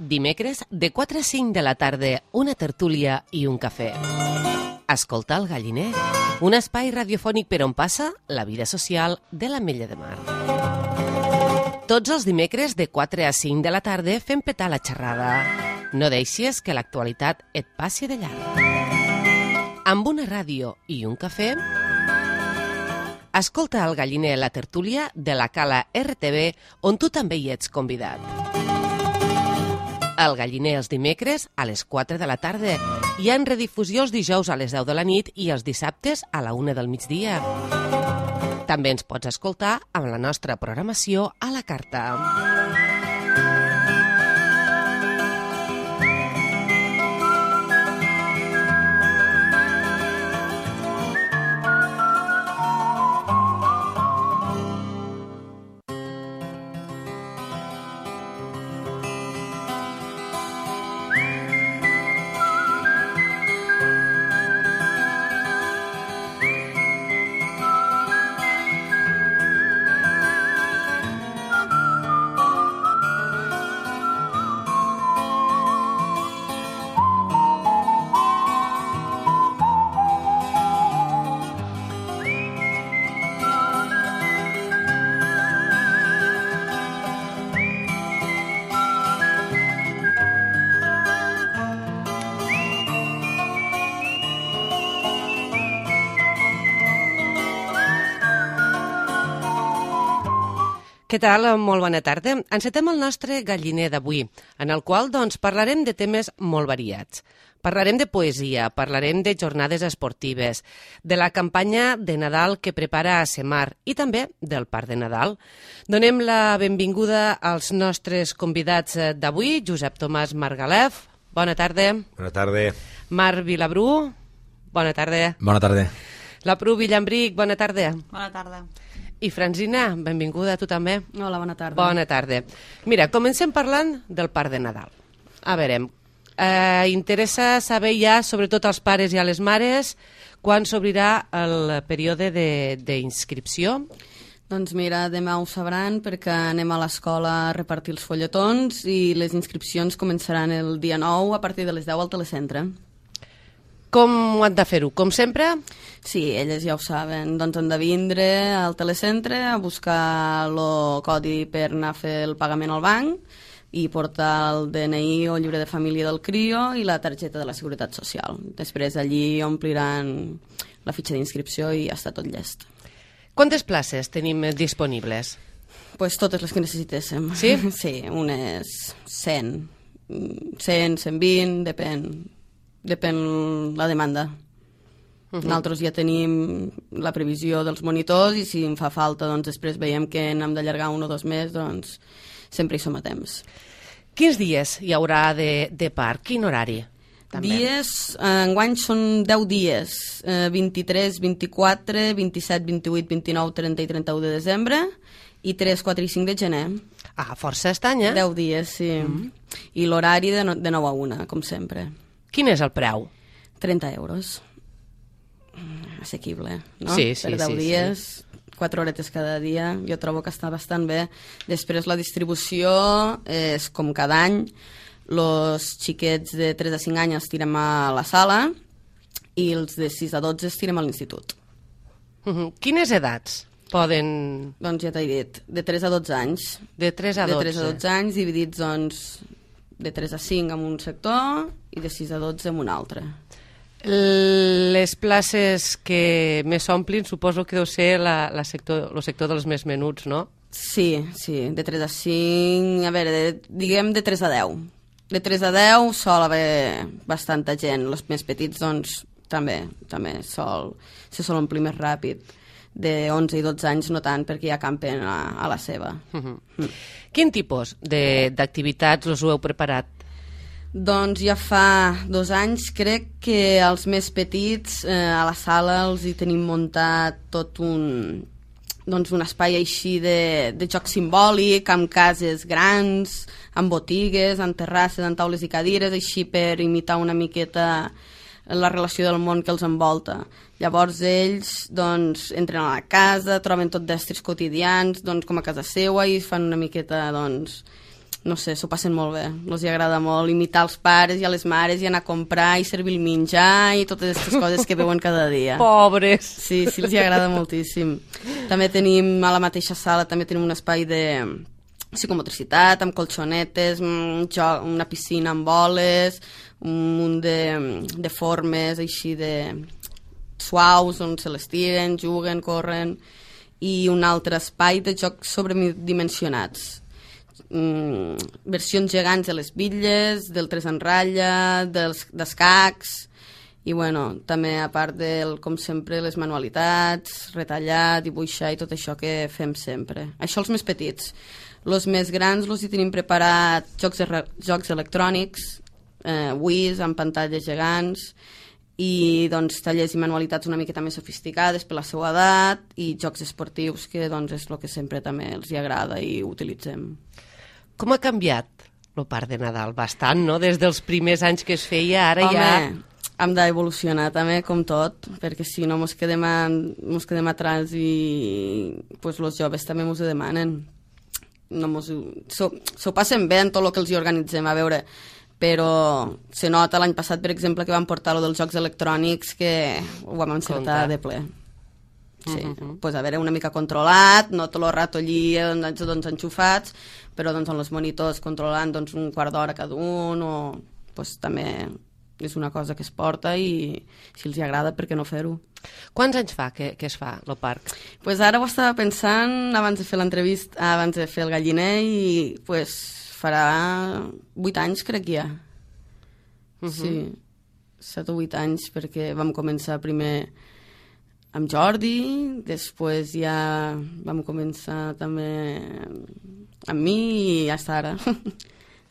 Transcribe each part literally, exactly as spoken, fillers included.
Dimecres, de quatre a cinc de la tarda, una tertúlia i un cafè. Escolta el Galliner, un espai radiofònic per on passa la vida social de l'Ametlla de Mar. Tots els dimecres, de quatre a cinc de la tarda, fem petar la xerrada. No deixis que l'actualitat et passi de llarg. Amb una ràdio i un cafè, escolta el Galliner, la tertúlia de la Cala R T V, on tu també hi ets convidat. El Galliner els dimecres a les quatre de la tarda. Hi ha en redifusió els dijous a les deu de la nit i els dissabtes a la una del migdia. També ens pots escoltar amb la nostra programació a la carta. Què tal? Molt bona tarda. Encetem el nostre Galliner d'avui, en el qual doncs, parlarem de temes molt variats. Parlarem de poesia, parlarem de jornades esportives, de la campanya de Nadal que prepara Asemar i també del Parc de Nadal. Donem la benvinguda als nostres convidats d'avui, Josep Tomàs Margalef, bona tarda. Bona tarda. Marc Vilabrú, bona tarda. Bona tarda. La Pru Villambric, bona tarda. Bona tarda. I Franzina, benvinguda a tu també. Hola, bona tarda. Bona tarda. Mira, comencem parlant del Parc de Nadal. A veure, eh, interessa saber ja, sobretot als pares i a les mares, quan s'obrirà el període d'inscripció? Doncs mira, demà ho sabran perquè anem a l'escola a repartir els fulletons i les inscripcions començaran el dia nou a partir de les deu al telecentre. Com ho han de fer-ho? Com sempre? Sí, elles ja ho saben. Doncs han de vindre al telecentre a buscar el codi per anar a fer el pagament al banc i portar el D N I o llibre de família del crio i la targeta de la Seguretat Social. Després allí ompliran la fitxa d'inscripció i ja està tot llest. Quantes places tenim disponibles? Pues totes les que necessitéssim. Sí? Sí, unes cent, cent, cent vint, depèn... Depèn la demanda. Uh-huh. Nosaltres ja tenim la previsió dels monitors i si en fa falta, doncs després veiem que n'hem d'allargar un o dos més, doncs sempre hi som a temps. Quins dies hi haurà de, de parc? Quin horari? També? Dies, eh, enguany són deu dies, eh, vint-i-tres, vint-i-quatre, vint-i-set, vint-i-vuit, vint-i-nou, trenta i trenta-u de desembre i tres, quatre i cinc de gener. Ah, força estany, eh? deu dies, sí. Uh-huh. I l'horari de, no, de nou a una, com sempre. Quin és el preu? trenta euros. Assequible, no? Sí, sí, per deu sí, dies, sí. quatre horetes cada dia, jo trobo que està bastant bé. Després la distribució és com cada any, els xiquets de tres a cinc anys els tirem a la sala i els de sis a dotze els tirem a l'institut. Uh-huh. Quines edats poden...? Doncs ja t'he dit, de tres a dotze anys. De tres a dotze. De tres a dotze anys, dividits, doncs, de tres a cinc en un sector i de sis a dotze en un altre. Les places que més omplin suposo que deu ser la, la sector, el sector dels més menuts, no? Sí, sí, de tres a cinc, a veure, de, diguem de tres a deu. De tres a deu sol haver bastanta gent, els més petits doncs també, també sol, se sol omplir més ràpid. De onze i dotze anys no tant, perquè ja campen a, a la seva. Uh-huh. Mm. Quin tipus d'activitats us ho heu preparat? Doncs ja fa dos anys crec que els més petits eh, a la sala els hi tenim muntat tot un, doncs un espai així de, de joc simbòlic, amb cases grans, amb botigues, amb terrasses, amb taules i cadires, així per imitar una miqueta la relació del món que els envolta. Llavors ells doncs, entren a la casa, troben tot d'estris quotidians doncs, com a casa seua i fan una miqueta doncs, no sé, s'ho passen molt bé. Els agrada molt imitar els pares i a les mares i anar a comprar i servir el menjar i totes aquestes coses que veuen cada dia. Pobres! Sí, sí, els agrada moltíssim. També tenim, a la mateixa sala, també tenim un espai de psicomotricitat, amb colxonetes, una piscina amb boles, un munt de, de formes així de suaus on se les tiren, juguen, corren, i un altre espai de jocs sobredimensionats. Mm, versions gegants de les bitlles, del tres en ratlla, dels d'escacs, i bueno, també a part del, com sempre, les manualitats, retallar, dibuixar i tot això que fem sempre. Això els més petits. Els més grans els hi tenim preparat jocs, jocs electrònics, eh, Wii's amb pantalles gegants i doncs, tallers i manualitats una miqueta més sofisticades per la seva edat i jocs esportius que doncs, és el que sempre també els hi agrada i utilitzem. Com ha canviat el Parc de Nadal? Bastant, no? Des dels primers anys que es feia, ara Home, ja... hem d'evolucionar també, com tot, perquè si no mos quedem, a, mos quedem atrás i pues, els joves també mos ho demanen. No mos, s'ho, s'ho passen bé en tot el que els hi organitzem, a veure, però se nota l'any passat, per exemple, que vam portar lo dels jocs electrònics, que ho vam encertar de ple. Sí, uh -huh. Pues a veure, una mica controlat, no tot el rato allí doncs, doncs, enxufats, però doncs, amb els monitors controlant doncs, un quart d'hora cada un, o pues, també és una cosa que es porta i si els hi agrada, per què no fer-ho? Quants anys fa que, que es fa, el parc? Pues ara ho estava pensant abans de fer l'entrevista, abans de fer el galliner, i pues farà vuit anys, crec que hi ha. Uh -huh. Sí, set o vuit anys, perquè vam començar primer amb Jordi, després ja vam començar també amb mi i fins ara.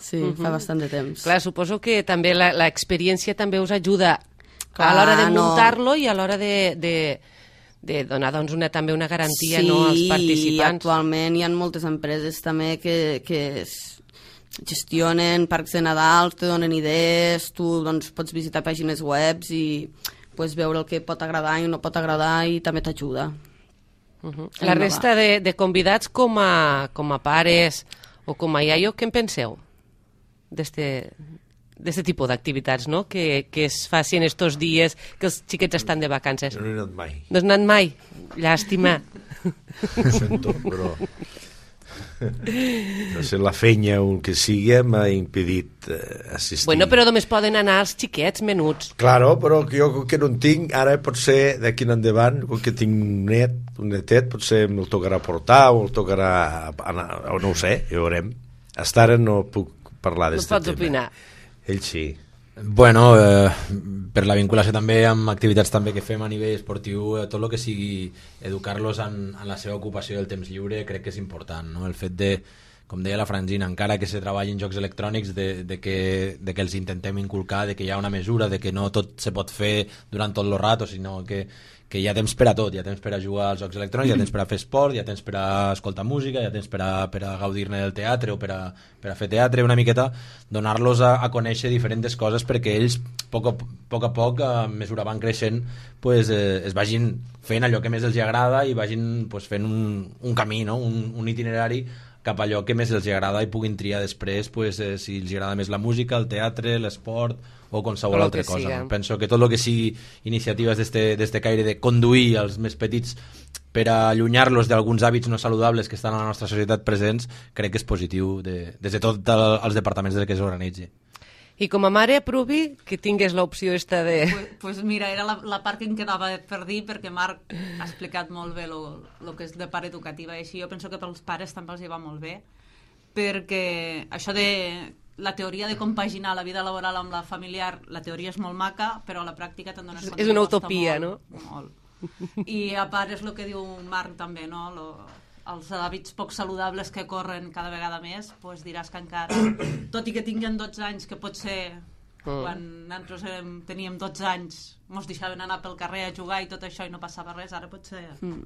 Sí, uh -huh. fa bastant de temps. Clar, suposo que també l'experiència també us ajuda Clar, a l'hora de muntar-lo no. i a l'hora de, de, de donar doncs, una, també una garantia sí, no, als participants. Sí, actualment hi ha moltes empreses també que, que gestionen parcs de Nadal, te donen idees, tu doncs, pots visitar pàgines webs i pues, veure el que pot agradar i no pot agradar i també t'ajuda. Uh -huh. La resta de, de convidats com a, com a pares o com a iaio, què en penseu d'este... d'aquest tipus d'activitats, no? Que, que es facin estos dies que els xiquets estan de vacances. Jo no he anat mai. No has anat mai? Llàstima. Ho sento, però... No sé, la feina o el que sigui m'ha impedit eh, assistir. Bueno, però només poden anar els xiquets menuts. Claro, però jo com que no en tinc, ara potser d'aquí en endavant, com que tinc un net, un netet, potser me'l tocarà portar o el tocarà anar, o no ho sé, ja ho veurem. Hasta ara no puc parlar d'aquest tema. No pots opinar. Ell sí. Bueno, eh, per la vinculació també amb activitats també que fem a nivell esportiu, eh, tot el que sigui educar-los en, en la seva ocupació del temps lliure crec que és important, no? El fet de, com deia la Francina, encara que se treballi en jocs electrònics, de, de, que, de que els intentem inculcar, de que hi ha una mesura, de que no tot se pot fer durant tot el rato, sinó que que hi ha temps per a tot, hi ha temps per a jugar als jocs electrònics, hi ha temps per a fer esport, hi ha temps per a escoltar música, hi ha temps per a, per a gaudir-ne del teatre o per a, per a fer teatre, una miqueta donar-los a, a conèixer diferents coses perquè ells, a poc a poc, a, poc a mesura van creixent, pues, eh, es vagin fent allò que més els agrada i vagin pues, fent un, un camí, no? un, un itinerari cap a allò que més els agrada i puguin triar després pues, eh, si els agrada més la música, el teatre, l'esport o qualsevol altra cosa. No? Penso que tot el que sigui iniciatives d'este caire de conduir els més petits per a allunyar-los d'alguns hàbits no saludables que estan a la nostra societat presents, crec que és positiu de, des de tots els departaments del que s'organitzi. I com a mare aprovi que tingués l'opció esta de... Pues, pues mira, era la, la part que em quedava per dir, perquè Marc ha explicat molt bé el que és de part educativa i així. Jo penso que pels pares també els hi va molt bé, perquè això de la teoria de compaginar la vida laboral amb la familiar, la teoria és molt maca, però a la pràctica te'n dones compte. És una utopia, molt, no? Molt. I a part és el que diu Marc també, no? Lo, els hàbits poc saludables que corren cada vegada més, doncs diràs que encara, tot i que tinguin dotze anys, que potser mm. quan nosaltres érem, teníem dotze anys mos deixaven anar pel carrer a jugar i tot això i no passava res, ara potser mm.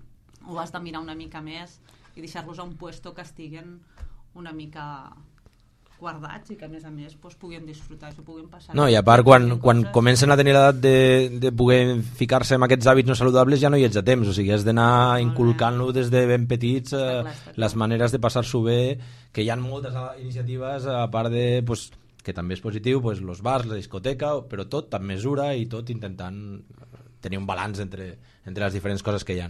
ho has de mirar una mica més i deixar-los a un puesto que estiguen una mica guardats i que a més a més pues, puguin disfrutar i s'ho puguin passar. No, i a part, quan, quan comencen a tenir l'edat de, de poder ficar-se en aquests hàbits no saludables ja no hi ets a temps, o sigui, has d'anar inculcant-lo des de ben petits eh, clar, les maneres de passar-s'ho bé, que hi ha moltes iniciatives a part de, pues, que també és positiu, pues, los bars, la discoteca, però tot amb mesura i tot intentant tenir un balanç entre, entre les diferents coses que hi ha.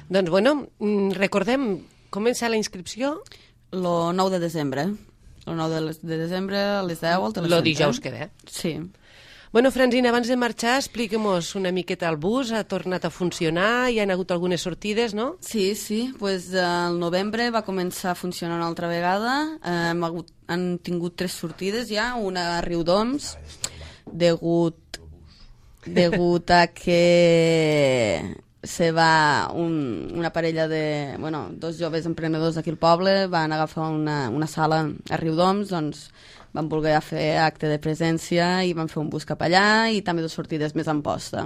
Doncs bueno, recordem, comença la inscripció? Lo nou de desembre. El nou de, de desembre a les deu al telecentre. Lo dijous que ve. Sí. Bueno, Francina, abans de marxar, expliquem-nos una miqueta el bus, ha tornat a funcionar, hi ha hagut algunes sortides, no? Sí, sí, pues, el novembre va començar a funcionar una altra vegada, eh, hem hagut, han tingut tres sortides ja, una a Riudoms, degut, degut a que se va un, una parella de, bueno, dos joves emprenedors d'aquí al poble van agafar una, una sala a Riudoms, doncs van voler fer acte de presència i van fer un bus cap allà i també dues sortides més en posta.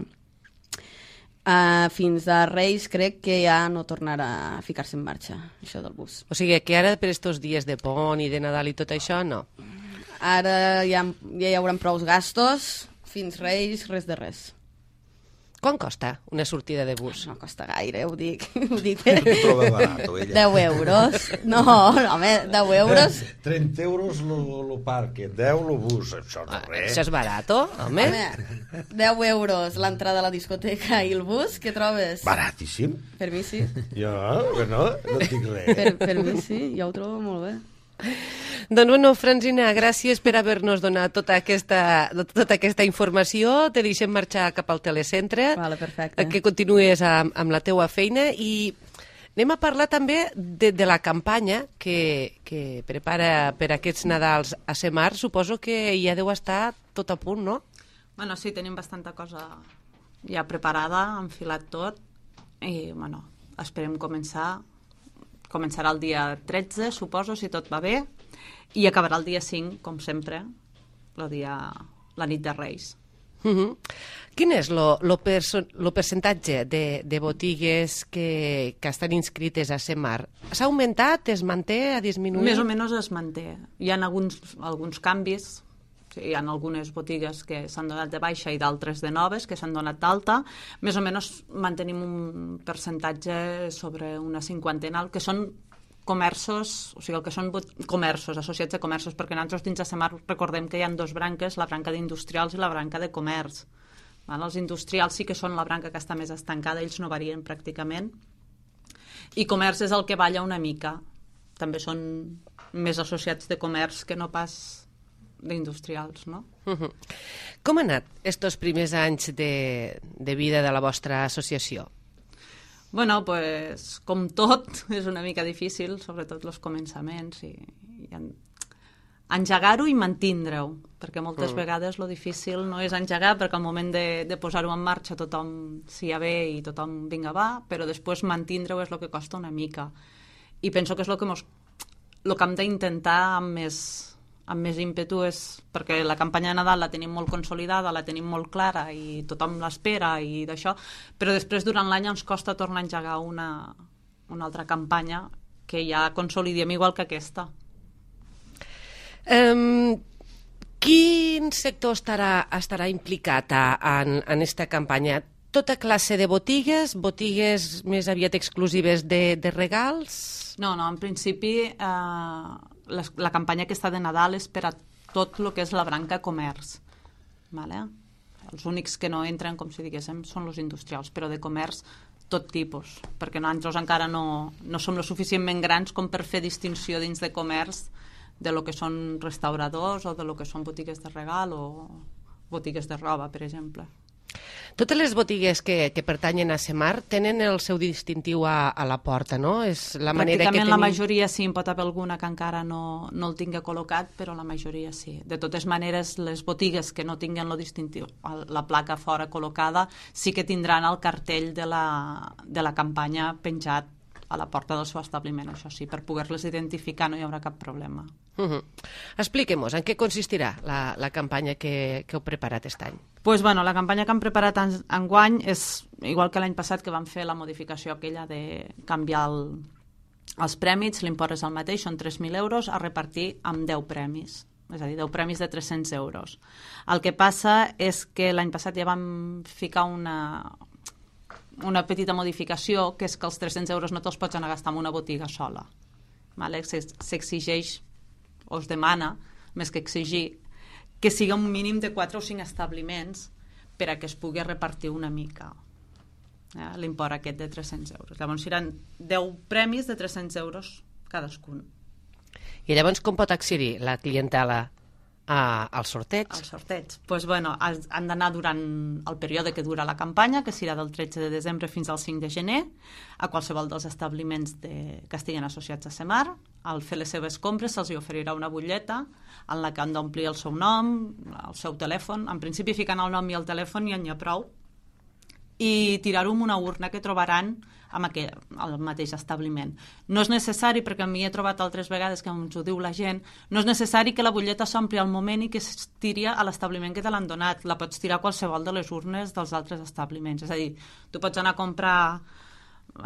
Uh, fins a Reis crec que ja no tornarà a ficar-se en marxa, això del bus. O sigui, que ara per estos dies de pont i de Nadal i tot això, no? Ara ja, ja hi haurà prou gastos, fins Reis, res de res. Quan costa una sortida de bus? No costa gaire, ho dic. Ho dic per... Troba barato, ella. deu euros. No, home, deu euros. trenta euros el parque, deu el bus, això no Ah, res. això és barato, home? Home, deu euros l'entrada a la discoteca i el bus, què trobes? Baratíssim. Per mi sí. Jo, que no, no dic res. Per, per mi sí, jo ho trobo molt bé. Doncs bueno, Francina, gràcies per haver-nos donat tota aquesta, tota aquesta informació. Te deixem marxar cap al telecentre. Vale, perfecte. Que continuïs amb, amb la teua feina i anem a parlar també de, de la campanya que, que prepara per aquests Nadals a Semar. Suposo que ja deu estar tot a punt, no? Bueno, sí, tenim bastanta cosa ja preparada, enfilat tot, i, bueno, esperem començar. Començarà el dia tretze, suposo, si tot va bé, i acabarà el dia cinc, com sempre, el dia, la nit de Reis. Uh -huh. Quin és el percentatge de, de botigues que, que estan inscrites a Semar? S'ha augmentat, es manté, ha disminuït? Més o menys es manté. Hi ha alguns, alguns canvis, hi ha algunes botigues que s'han donat de baixa i d'altres de noves que s'han donat d'alta. Més o menys mantenim un percentatge sobre una cinquantena, el que són comerços, o sigui, el que són comerços, associats a comerços, perquè nosaltres dins de Semar recordem que hi ha dos branques, la branca d'industrials i la branca de comerç. Val? Els industrials sí que són la branca que està més estancada, ells no varien pràcticament, i comerç és el que balla una mica. També són més associats de comerç que no pas d'industrials, no? Uh -huh. Com han anat estos primers anys de, de vida de la vostra associació? Bueno, pues, com tot, és una mica difícil, sobretot els començaments, i, i en, engegar-ho i mantindre-ho, perquè moltes mm. vegades lo difícil no és engegar, perquè al moment de, de posar-ho en marxa tothom s'hi ha bé i tothom vinga va, però després mantindre-ho és el que costa una mica. I penso que és el que, mos, lo que hem d'intentar amb més... amb més ímpetu és perquè la campanya de Nadal la tenim molt consolidada, la tenim molt clara i tothom l'espera i d'això, però després durant l'any ens costa tornar a engegar una, una altra campanya que ja consolidem igual que aquesta. Um, quin sector estarà, estarà implicat a, en, en esta campanya? Tota classe de botigues, botigues més aviat exclusives de, de regals? No, no, en principi eh, la, la campanya aquesta de Nadal és per a tot el que és la branca comerç. Vale? Els únics que no entren, com si diguéssim, són els industrials, però de comerç tot tipus, perquè nosaltres encara no, no som lo suficientment grans com per fer distinció dins de comerç de lo que són restauradors o de lo que són botigues de regal o botigues de roba, per exemple. Totes les botigues que, que pertanyen a Semar tenen el seu distintiu a, a la porta, no? És la manera que Pràcticament tenim... la majoria sí, en pot haver alguna que encara no, no el tinga col·locat, però la majoria sí. De totes maneres, les botigues que no tinguen lo distintiu, la placa fora col·locada, sí que tindran el cartell de la, de la campanya penjat a la porta del seu establiment, això sí, per poder-les identificar no hi haurà cap problema. Uh -huh. Expliquem-nos, en què consistirà la, la campanya que, que heu preparat aquest any? Pues, bueno, la campanya que hem preparat en, enguany és igual que l'any passat, que vam fer la modificació aquella de canviar el, Els prèmits, l'import és el mateix, són tres mil euros a repartir amb deu premis, és a dir, deu premis de tres-cents euros. El que passa és que l'any passat ja vam ficar una, una petita modificació, que és que els tres-cents euros no te'ls pots anar a gastar en una botiga sola. Vale? S'exigeix, o es demana, més que exigir, que sigui un mínim de quatre o cinc establiments per a que es pugui repartir una mica eh, l'import aquest de tres-cents euros. Llavors seran deu premis de tres-cents euros cadascun. I llavors com pot accedir la clientela a, al sorteig? El sorteig. Pues, bueno, han d'anar durant el període que dura la campanya, que serà del tretze de desembre fins al cinc de gener, a qualsevol dels establiments de, que estiguin associats a Semar. Al fer les seves compres se'ls oferirà una butlleta en la que han d'omplir el seu nom, el seu telèfon, en principi ficant el nom i el telèfon i en hi ha prou, i tirar-ho en una urna que trobaran amb aquell, al mateix establiment. No és necessari, perquè a mi he trobat altres vegades que ens ho diu la gent, no és necessari que la butlleta s'ompli al moment i que es tiri a l'establiment que te l'han donat. La pots tirar a qualsevol de les urnes dels altres establiments. És a dir, tu pots anar a comprar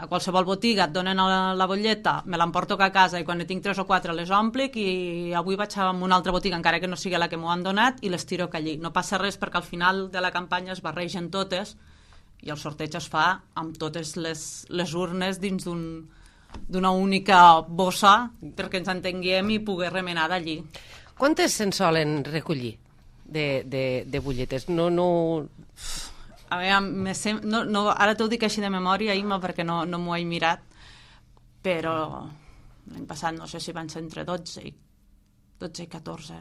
a qualsevol botiga, et donen la, la butlleta, me l'emporto a casa i quan ne tinc tres o quatre les omplic i avui vaig a una altra botiga, encara que no sigui la que m'ho han donat, i les tiro allí. No passa res perquè al final de la campanya es barregen totes i el sorteig es fa amb totes les, les urnes dins d'un, d'una única bossa perquè ens entenguem i poder remenar d'allí. Quantes se'n solen recollir de, de, de butlletes? No, no... A veure, sem... no, no, ara t'ho dic així de memòria, Imma, perquè no, no m'ho he mirat, però l'any passat no sé si van ser entre dotze i, dotze i catorze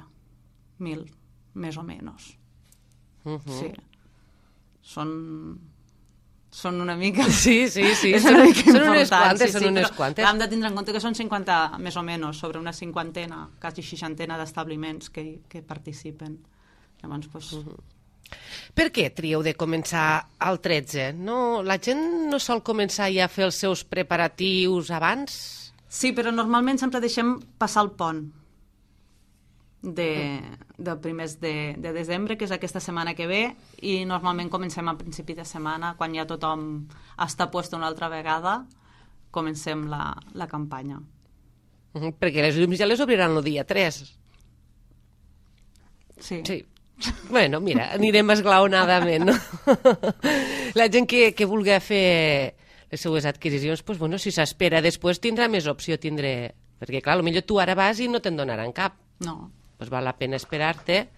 mil, més o menys. Uh -huh. Sí. Són... són una mica... Sí, sí, sí. Són, una mica són unes quantes, sí, són sí, unes quantes. Hem de tindre en compte que són cinquanta, més o menys, sobre una cinquantena, quasi seixantena d'establiments que, que participen. Llavors, doncs... Uh -huh. Per què trieu de començar al tretze? No, la gent no sol començar ja a fer els seus preparatius abans? Sí, però normalment sempre deixem passar el pont de, de primers de, de desembre, que és aquesta setmana que ve, i normalment comencem a principi de setmana, quan ja tothom està puesto una altra vegada, comencem la, la campanya. Uh -huh, perquè les llums ja les obriran el dia tres. Sí. Sí. Bueno, mira, anirem esglaonadament, no? La gent que, que vulgui fer les seues adquisicions, pues, bueno, si s'espera després tindrà més opció, tindré... Perquè, clar, potser tu ara vas i no te'n donaran cap. No. Pues val la pena esperar-te.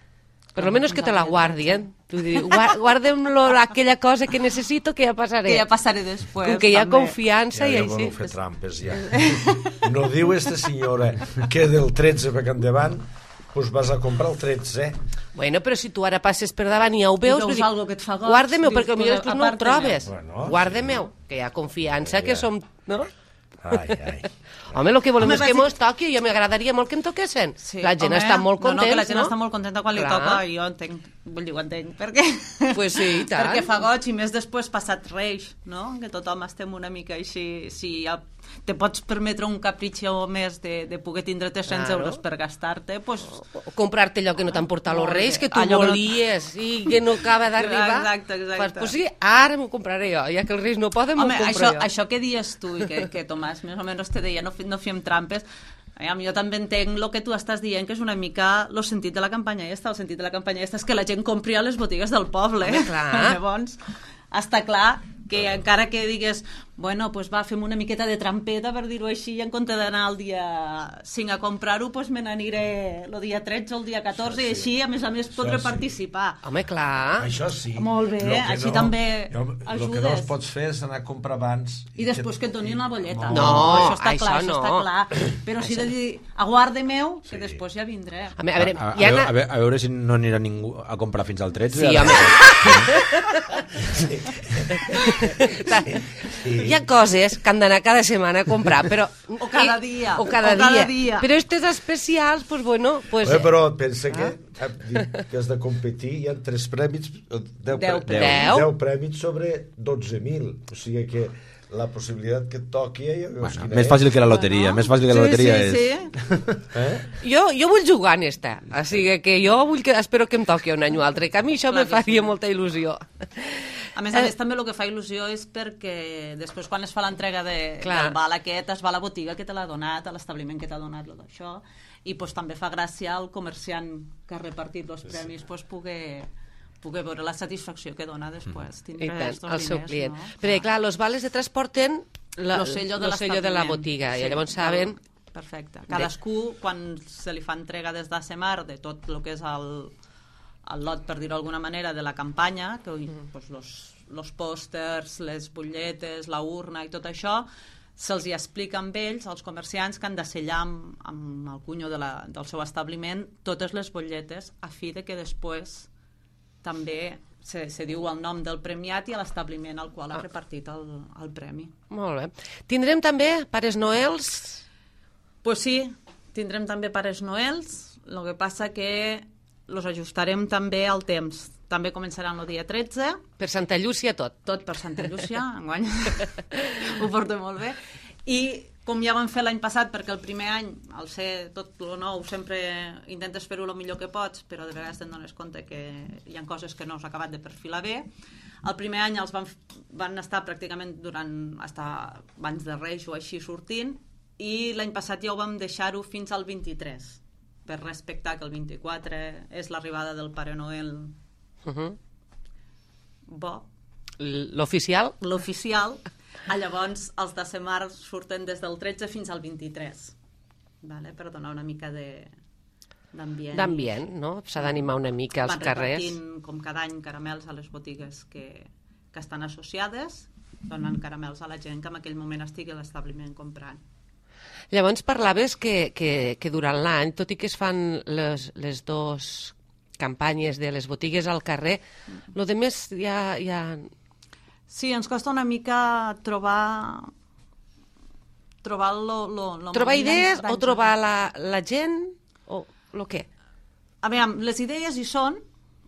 Per lo menos que te la guardi, eh? Tu dius, guardem aquella cosa que necessito, que ja passaré. Que ja passaré després. Com que hi ha confiança ja, i ja així. Ja fer trampes, ja. No diu esta senyora que del tretze per endavant pues vas a comprar el tretze. Bueno, però si tu ara passes per davant i ja ho veus... I veus algo que et fa goig... Guarda-meu, perquè dius, potser després no ho trobes. Bueno, Guarda-meu, que hi ha confiança, que som... No? Ai, ai. Home, el que volem Home, és que bàsic... mos toqui, jo m'agradaria molt que em toquessin. Sí, la gent home, està molt contenta, no? No, que la gent no? està molt contenta quan Clar. li toca, i jo entenc, vull dir, ho entenc, perquè... Pues sí, i tant. Perquè fa goig, i més després passat Reis, no? Que tothom estem una mica així, si ja te pots permetre un capritxo més de, de poder tindre tres-cents Claro. euros per gastar-te, pues... O comprar-te allò que no t'han portat els Molt reis, bé. que tu Allò que no- volies i que no acaba d'arribar. Exacte, exacte. Fas, pues sí, ara m'ho compraré jo, ja que els reis no poden, m'ho Home, compro això, jo. això que dies tu, i que, que Tomàs més o menys te deia, no, fi- no fiem trampes, Aviam, jo també entenc el que tu estàs dient, que és una mica el sentit de la campanya esta. El sentit de la campanya esta és que la gent compri a les botigues del poble. Home, clar. Llavors, està clar que encara que digues, bueno, pues va, fem una miqueta de trampeta, per dir-ho així, i en compte d'anar el dia cinc a comprar-ho, pues me n'aniré el dia tretze o el dia catorze, Això i sí. així, a més a més, podré sí. participar. Home, clar. Això sí. Molt bé, Lo que així també El que no ajudes. es pots fer és anar a comprar abans... I després que et donin la bolleta. No, això està això clar, no. això està clar. Però sí de dir, aguarde meu, que Sí. després ja vindré. A, veure, a veure, A, a, hi ha... veure, a, veure, a veure si no anirà ningú a comprar fins al tretze. Sí, home. Hi ha coses que han d'anar cada setmana a comprar, però... O cada dia. O cada, O cada dia. dia. Però estes especials, pues bueno... Pues, Bé, però pensa que, que has de competir, hi ha tres prèmits, deu, Deu pre- premis. deu prèmits sobre dotze mil. O sigui que la possibilitat que et toqui... Ja veus Bueno, quina més és. fàcil que la loteria, més fàcil que la loteria sí, és... sí, sí. Eh? Jo, jo vull jugar en esta, o sigui que jo vull que, espero que em toqui un any o altre, que a mi això Clar me que faria sí. molta il·lusió. A més a més, també el que fa il·lusió és perquè després quan es fa l'entrega de, Clar. del val aquest, es va a la botiga que te l'ha donat, a l'establiment que t'ha donat lo d'això, i pues, també fa gràcia al comerciant que ha repartit els premis pues, poder, poder veure la satisfacció que dona després. I tant, estos el seu diners, client. no? Perquè, clar, els vales de transport tenen la, Lo sello de lo sello de la l'establiment. botiga, Sí, i llavors del- saben... Perfecte. Cadascú, quan se li fa entrega des d'Asemar de tot el que és el, el lot, per dir-ho d'alguna manera, de la campanya, que mm. pues, los, los pòsters, les butlletes, la urna i tot això, se'ls hi explica amb ells, als comerciants, que han de sellar amb, amb el cunyo de la, del seu establiment totes les butlletes a fi de que després també se, se diu el nom del premiat i a l'establiment al qual ha repartit el, el premi. Molt bé. Tindrem també Pares Noels... Pues sí, tindrem també Pares Noels, el que passa que los ajustarem també al temps. També començaran el dia tretze, Per Santa Llúcia tot. tot per Santa Llúcia, enguany ho porto molt bé. I com ja vam fer l'any passat, perquè el primer any, al ser tot lo nou, sempre intentes fer-ho el millor que pots, però de vegades te'n dones compte que hi ha coses que no has acabat de perfilar bé. El primer any els van, van estar pràcticament durant, hasta abans de Reis o així sortint, i l'any passat ja ho vam deixar-ho fins al vint-i-tres, per respectar que el vint-i-quatre és l'arribada del Pare Noel Uh -huh. bo, L'oficial? l'oficial. Ah, llavors els de Semar surten des del tretze fins al vint-i-tres, vale? Per donar una mica de d'ambient. D'ambient, no? S'ha d'animar una mica als Van carrers. repartint, com cada any, caramels a les botigues que, que estan associades, donen caramels a la gent que en aquell moment estigui a l'establiment comprant. Llavors parlaves que, que, que durant l'any, tot i que es fan les, les dues campanyes de les botigues al carrer, lo de més ja... ja... Sí, ens costa una mica trobar trobar lo, lo, lo Trobar idees o d'any- trobar la, la gent o lo què? A veure, les idees hi són,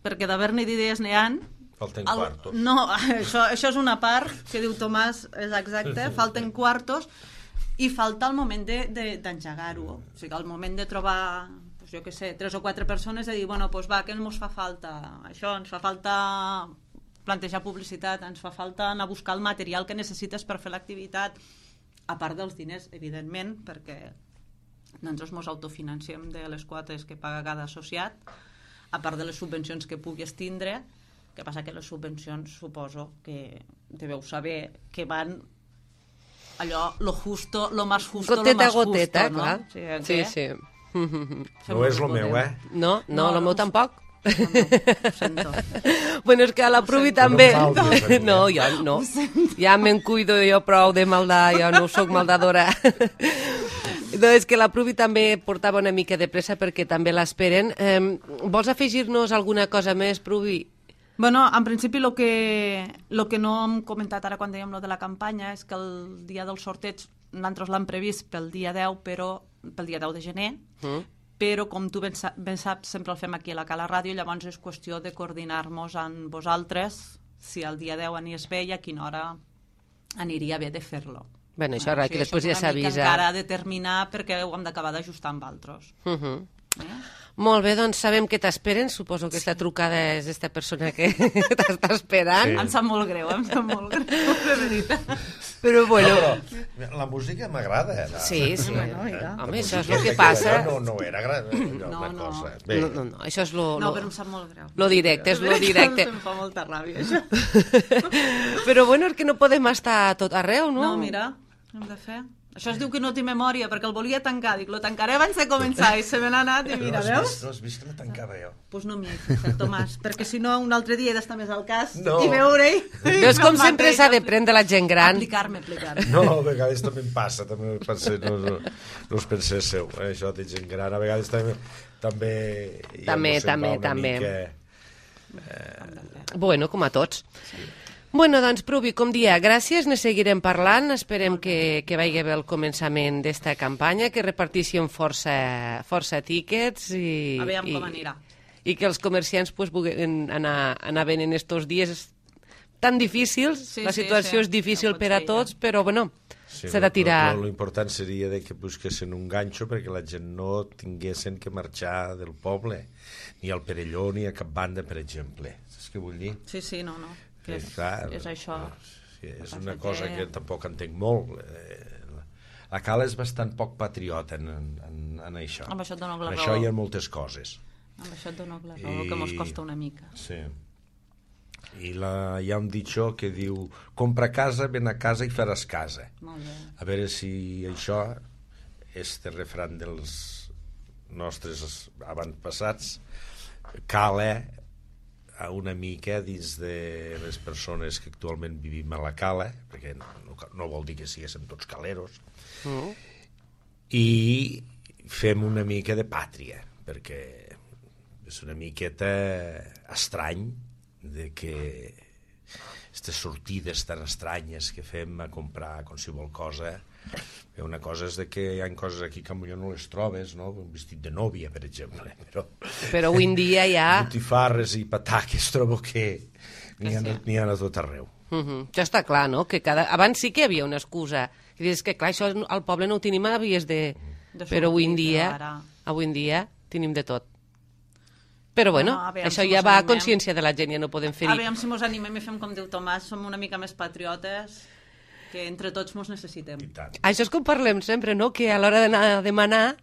perquè d'haver-ne d'idees n'hi han. Falten El- quartos. No, això, això és una part que diu Tomàs, és exacte, falten quartos i falta el moment d'engegar-ho. De, de, o sigui, el moment de trobar, pues, jo què sé, tres o quatre persones i dir, bueno, doncs va, què ens fa falta? Això, ens fa falta plantejar publicitat, ens fa falta anar a buscar el material que necessites per fer l'activitat, a part dels diners, evidentment, perquè nosaltres ens autofinanciem de les quotes que paga cada associat, a part de les subvencions que puguis tindre, que passa que les subvencions suposo que deveu saber que van allò, lo justo, lo más justo, Goteta lo más a goteta, justo, clar. no? Sí, Sí, què? sí. No és el meu, eh? No, no, No, el no, meu tampoc. No, no, ho sento. Bueno, és que a la Pruvi sento. també... No em faltis a mi, eh? No, jo no. Ja me'n cuido jo prou de maldar, jo no sóc maldadora. No, és que la Pruvi també portava una mica de pressa perquè també l'esperen. Eh, vols afegir-nos alguna cosa més, Pruvi? Bueno, en principi el que, lo que no hem comentat ara quan dèiem lo de la campanya és que el dia del sorteig nosaltres l'hem previst pel dia deu, però pel dia deu de gener, Mm. però com tu ben, sa ben saps sempre el fem aquí a la Cala Ràdio, llavors és qüestió de coordinar-nos amb vosaltres si el dia deu anies bé i a quina hora aniria bé de fer-lo. Bueno, això ara, que després ja és una mica s'avisa. encara a determinar perquè ho hem d'acabar d'ajustar amb altres. Uh -huh. Eh? Molt bé, doncs sabem que t'esperen. Suposo que aquesta trucada és aquesta persona que t'està esperant. Sí. Em sap molt greu, em sap molt greu, de veritat. Però, bueno... No, però la música m'agrada. eh? Sí, sí. Bueno, mira. Home, això és La el que música passa. No, no era gran, no, No, la no. cosa. Bé, No, no, no, això és lo... No, lo- però em sap molt greu. Lo directe, és lo directe. Em fa molta ràbia, això. Però bueno, és que no podem estar a tot arreu, no? No, mira, hem de fer. Això es diu que no té memòria, perquè el volia tancar. Dic, lo tancaré abans de començar, i se me n'ha anat, i no mira, has veus? vist, no has vist que la tancava jo. Doncs pues no m'hi he fixat, Tomàs, perquè si no un altre dia he d'estar més al cas No. i veure-hi. Veus com sempre s'ha de prendre la gent gran? Aplicar-me, aplicar-me. No, a vegades també em passa, també pensé, no, no, no us penséssiu, eh, això de gent gran, a vegades també... També, ja També, mos se'n va també, una també. mica- Bueno, com a tots. Bueno, doncs, Pruvi, com dia, gràcies, ne seguirem parlant, esperem que, que vagi bé el començament d'esta campanya, que repartíssim força, força tíquets i, Aviam i, com anirà. i que els comerciants pues, puguin anar, anar ben en estos dies tan difícils, Sí, la sí, situació sí. és difícil No pot per a ser, tots, però bueno, Sí, s'ha de tirar... L'important seria de que busquessin un ganxo perquè la gent no tinguessin que marxar del poble, ni al Perelló ni a cap banda, per exemple. Saps què vull dir? Sí, sí, no, no. que és, clar, és això. Sí, és una cosa que tampoc entenc molt. La Cala és bastant poc patriota en, en, en això. Amb això et dono la en raó. això hi ha moltes coses. Amb això et dono la raó, I... que mos costa una mica. Sí. I la, hi ha un ditxó que diu compra casa, ven a casa i faràs casa. Molt bé. A veure si això, este refran dels nostres avantpassats, cala una mica dins de les persones que actualment vivim a la Cala, perquè no, no vol dir que siguéssim tots caleros, mm. i fem una mica de pàtria, perquè és una miqueta estrany de que aquestes sortides tan estranyes que fem a comprar qualsevol cosa. Una cosa és de que hi ha coses aquí que potser no les trobes, no? Un vestit de nòvia, per exemple. Però, però avui en dia hi ha... botifarres i pataques trobo que n'hi ha, n'hi ha a tot arreu. Uh -huh. Això està clar, no? Que cada... Abans sí que hi havia una excusa. I dius que, clar, això al poble no ho tenim a vies de... de però avui en dia, ara... avui en dia tenim de tot. Però bueno, bueno això si ja va animem. A consciència de la gent, ja no podem fer-hi. A veure si mos animem i fem com diu Tomàs, som una mica més patriotes, que entre tots mos necessitem. Això és com parlem sempre, no? Que a l'hora d'anar a demanar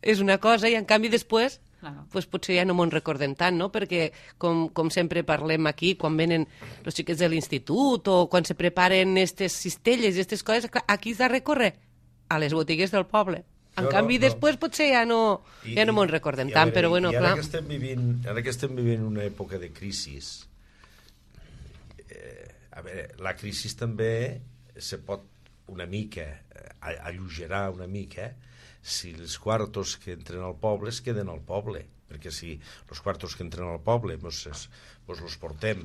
és una cosa i en canvi després claro. Pues potser ja no m'ho recordem tant, no? Perquè com, com sempre parlem aquí, quan venen els xiquets de l'institut o quan se preparen aquestes cistelles i aquestes coses, aquí s'ha de recórrer a les botigues del poble. En no, canvi, no, després no. Potser ja no, ja no m'ho recordem tant, veure, però bueno, i ara clar. Que estem vivint, ara que estem vivint una època de crisi, eh, a veure, la crisi també se pot una mica alleugerar una mica si els quartos que entren al poble es queden al poble, perquè si els quartos que entren al poble doncs els portem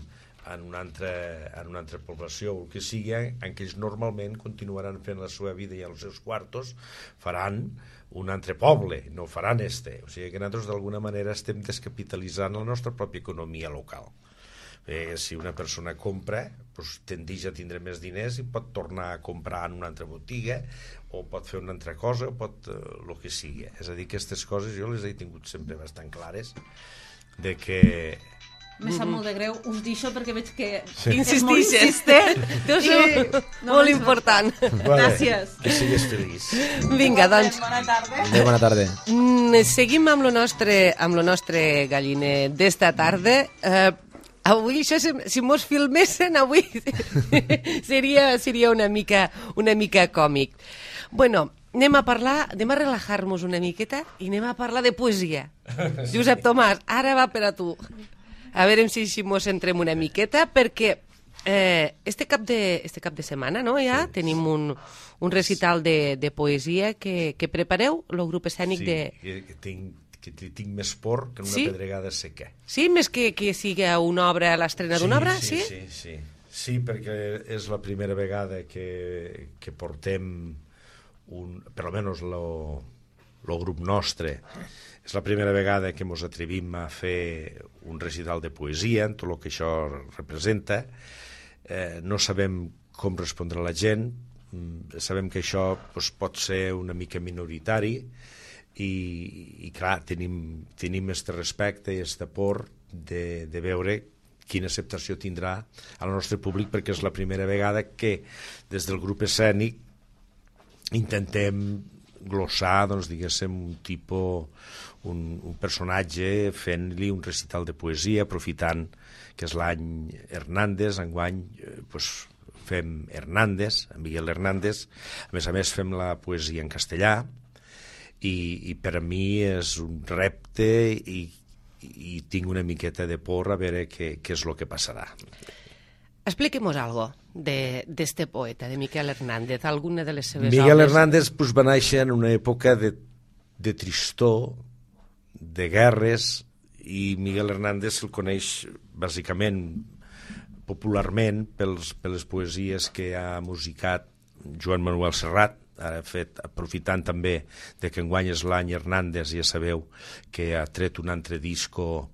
en una altra, en una altra població o el que sigui, en què ells normalment continuaran fent la seva vida i els seus quartos faran un altre poble, no faran este. O sigui que nosaltres d'alguna manera estem descapitalitzant la nostra pròpia economia local. Eh, si una persona compra, doncs tendeix a tindre més diners i pot tornar a comprar en una altra botiga o pot fer una altra cosa o pot eh, el que sigui. És a dir, aquestes coses jo les he tingut sempre bastant clares de que... Me sap molt de greu, us deixo perquè veig que sí. Insistixes, eh? Deu ser no molt important. Vale, gràcies. Que sigues feliç. Vinga, doncs. Bona tarda. Adéu, bona tarda. Mm, seguim amb lo nostre, amb lo nostre galliner d'esta tarda. Eh, avui, això, si, si mos filmessin avui, seria, seria una mica, una mica còmic. Bueno, anem a parlar, anem a relajar-nos una miqueta i anem a parlar de poesia. Josep Tomàs, ara va per a tu. A veure si, si mos entrem una miqueta, perquè eh, este, cap de, este cap de setmana no, ja sí, tenim un, un recital de, de poesia que, que prepareu, el grup escènic sí, de... Sí, que, tinc, que tinc més por que una sí? pedregada seca. Sí, més que, que sigui una obra, l'estrena sí, d'una obra? Sí, sí, sí, sí. Sí, perquè és la primera vegada que, que portem, un, per almenys el grup nostre, és la primera vegada que ens atrevim a fer un recital de poesia, en tot el que això representa. Eh, no sabem com respondrà la gent, sabem que això doncs, pot ser una mica minoritari i, i clar, tenim, tenim este respecte i este por de, de veure quina acceptació tindrà al nostre públic, perquè és la primera vegada que des del grup escènic intentem glossar, doncs, diguéssim, un tipus, un, un personatge fent-li un recital de poesia, aprofitant que és l'any Hernández, enguany eh, pues, fem Hernández, en Miguel Hernández, a més a més fem la poesia en castellà, i, i per a mi és un repte i, i tinc una miqueta de por a veure què, què és el que passarà. Expliquem-nos algo de d'este poeta, de Miquel Hernández, alguna de les seves Miguel obres. Hernández pues, va néixer en una època de, de tristor, de guerres, i Miguel Hernández el coneix bàsicament, popularment, pels, per les poesies que ha musicat Joan Manuel Serrat, ara fet, aprofitant també de que enguany és l'any Hernández, ja sabeu que ha tret un altre disco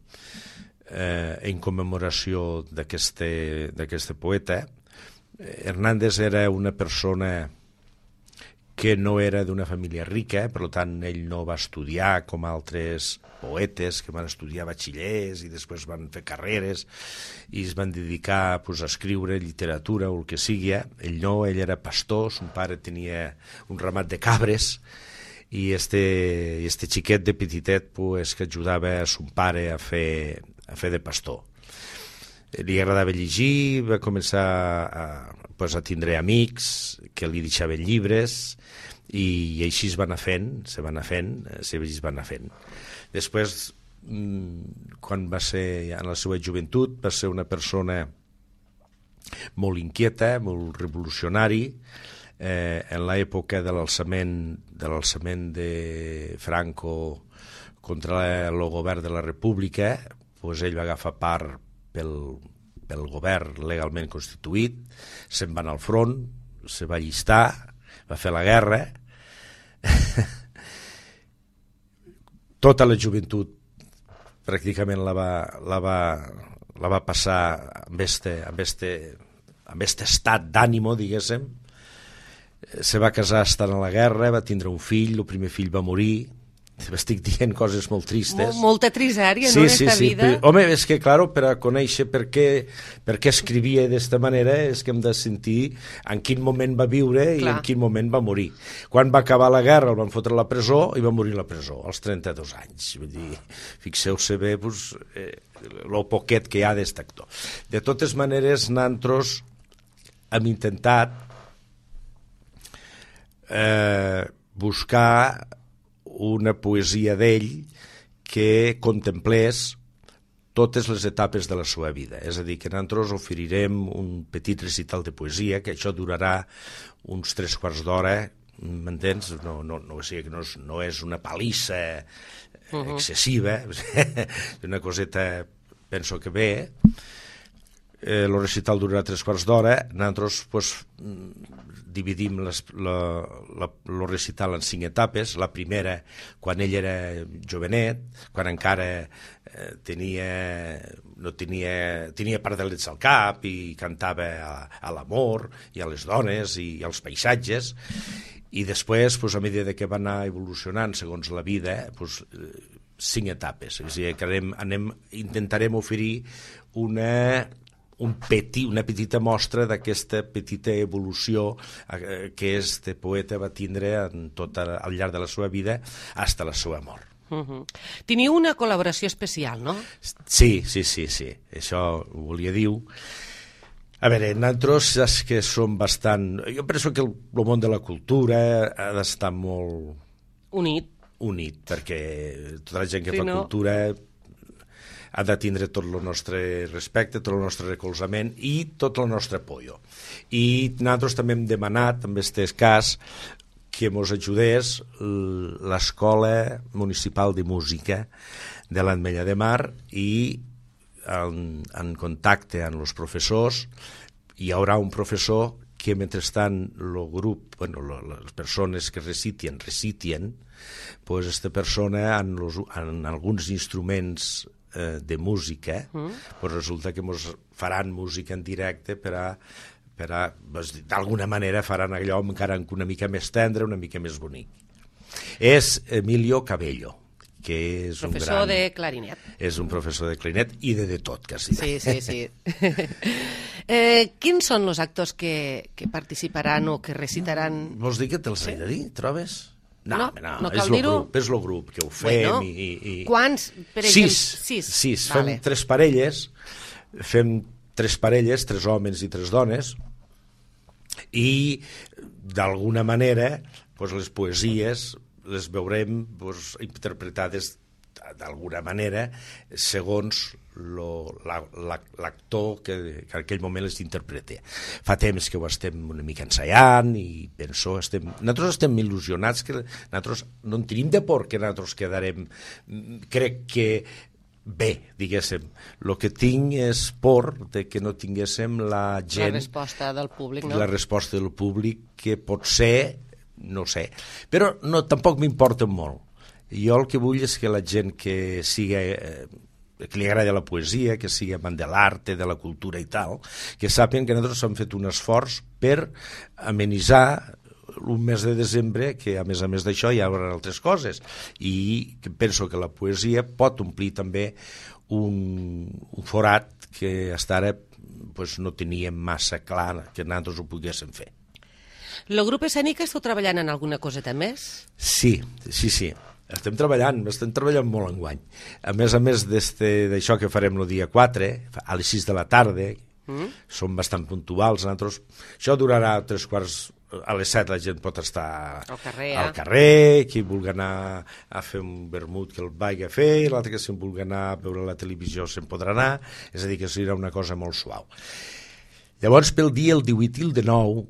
eh, en commemoració d'aquest poeta. Hernández era una persona que no era d'una família rica, per tant ell no va estudiar com altres poetes que van estudiar batxillers i després van fer carreres i es van dedicar pues, a escriure literatura o el que sigui. Ell no, ell era pastor, son pare tenia un ramat de cabres i este, este xiquet de petitet pues, que ajudava a son pare a fer, a fer de pastor. Li agradava llegir, va començar a, pues, a tindre amics que li deixaven llibres i, i així es va anar fent, se va anar fent, se va anar fent. Després, quan va ser en la seva joventut, va ser una persona molt inquieta, molt revolucionari. Eh, en l'època de l'alçament de l'alçament de Franco contra el govern de la República, pues ell va agafar part pel, pel govern legalment constituït, se'n va anar al front, se va allistar, va fer la guerra. Tota la joventut pràcticament la va, la va, la va passar amb este, amb este, amb este estat d'ànimo, diguéssim. Se va casar estant a la guerra, va tindre un fill, el primer fill va morir. Estic dient coses molt tristes. Mol, molta trisària, sí, no, en sí, esta sí. vida. Però, home, és que, claro, per a conèixer per què, per què escrivia d'esta manera és que hem de sentir en quin moment va viure i Clar. en quin moment va morir. Quan va acabar la guerra el van fotre a la presó i va morir a la presó, als trenta-dos anys. Vull dir, fixeu-se bé pues, eh, lo poquet que hi ha d'aquest actor. De totes maneres, nosaltres hem intentat eh, buscar una poesia d'ell que contemplés totes les etapes de la seva vida. És a dir, que nosaltres oferirem un petit recital de poesia, que això durarà uns tres quarts d'hora, m'entens? No, no, no, o sigui, que no, és, no és una palissa excessiva, uh-huh. una coseta, penso que bé. Eh, el recital durarà tres quarts d'hora, nosaltres pues, dividim les, la, la, el recital en cinc etapes. La primera, quan ell era jovenet, quan encara eh, tenia, no tenia, tenia pardalets al cap i cantava a, a l'amor i a les dones i als paisatges, i després, pues, a mesura que va anar evolucionant segons la vida, pues, cinc etapes. És a dir, que anem, anem, intentarem oferir una... Un petit, una petita mostra d'aquesta petita evolució eh, que este poeta va tindre en tot el, al llarg de la seva vida fins a la seva mort. Uh-huh. Teniu una col·laboració especial, no? Sí, sí, sí, sí. Això ho volia dir. A veure, nosaltres és que som bastant... Jo penso que el, el món de la cultura ha d'estar molt... Unit. Unit, perquè tota la gent que sí, fa no? cultura... ha de tindre tot el nostre respecte, tot el nostre recolzament i tot el nostre apoyo. I nosaltres també hem demanat, en aquest cas, que ens ajudés l'Escola Municipal de Música de l'Ametlla de Mar i en, en contacte amb els professors hi haurà un professor que mentrestant el grup, bueno, les persones que recitien, recitien, pues aquesta persona en, los, en alguns instruments de música, mm. pues resulta que ens faran música en directe per a, per a pues, d'alguna manera faran allò encara una mica més tendre, una mica més bonic. És Emilio Cabello, que és professor un gran... de clarinet. És un professor de clarinet i de de tot, quasi. Sí, sí, sí. eh, quins són els actors que, que participaran o que recitaran? Vols dir que te'ls he de dir, trobes? No, no, no, no és cal el dir-ho. grup, és el grup que ho fem. Bueno, i, i... Quants, per exemple? Sis. Sis. Sis. Vale. Fem tres parelles, fem tres parelles, tres homes i tres dones, i d'alguna manera pues, les poesies les veurem pues, interpretades d'alguna manera segons l'actor que, que en aquell moment les interpreta. Fa temps que ho estem una mica ensaiant i penso, estem, nosaltres estem il·lusionats que nosaltres no en tenim de por que nosaltres quedarem, crec que bé, diguéssim. El que tinc és por de que no tinguéssim la gent... La resposta del públic, no? La resposta del públic que pot ser, no sé, però no, tampoc m'importa molt. Jo el que vull és que la gent que siga... Eh, que li agrada la poesia, que sigui amant de l'art, de la cultura i tal, que sàpien que nosaltres hem fet un esforç per amenitzar un mes de desembre que, a més a més d'això, hi haurà altres coses, i que penso que la poesia pot omplir també un, un forat que fins ara pues, no teníem massa clar que nosaltres ho poguéssim fer. El grup escènic esteu treballant en alguna coseta més? Sí, sí, sí. Estem treballant, estem treballant molt enguany. A més a més d'això que farem el dia quatre, a les sis de la tarda, mm. som bastant puntuals. Nosaltres, això durarà tres quarts, a les set la gent pot estar al carrer, al eh? carrer, qui vulgui anar a fer un vermut que el vagi a fer, i l'altre que si vulgui anar a veure la televisió se'n podrà anar, és a dir, que serà una cosa molt suau. Llavors, pel dia el divuit i el dinou,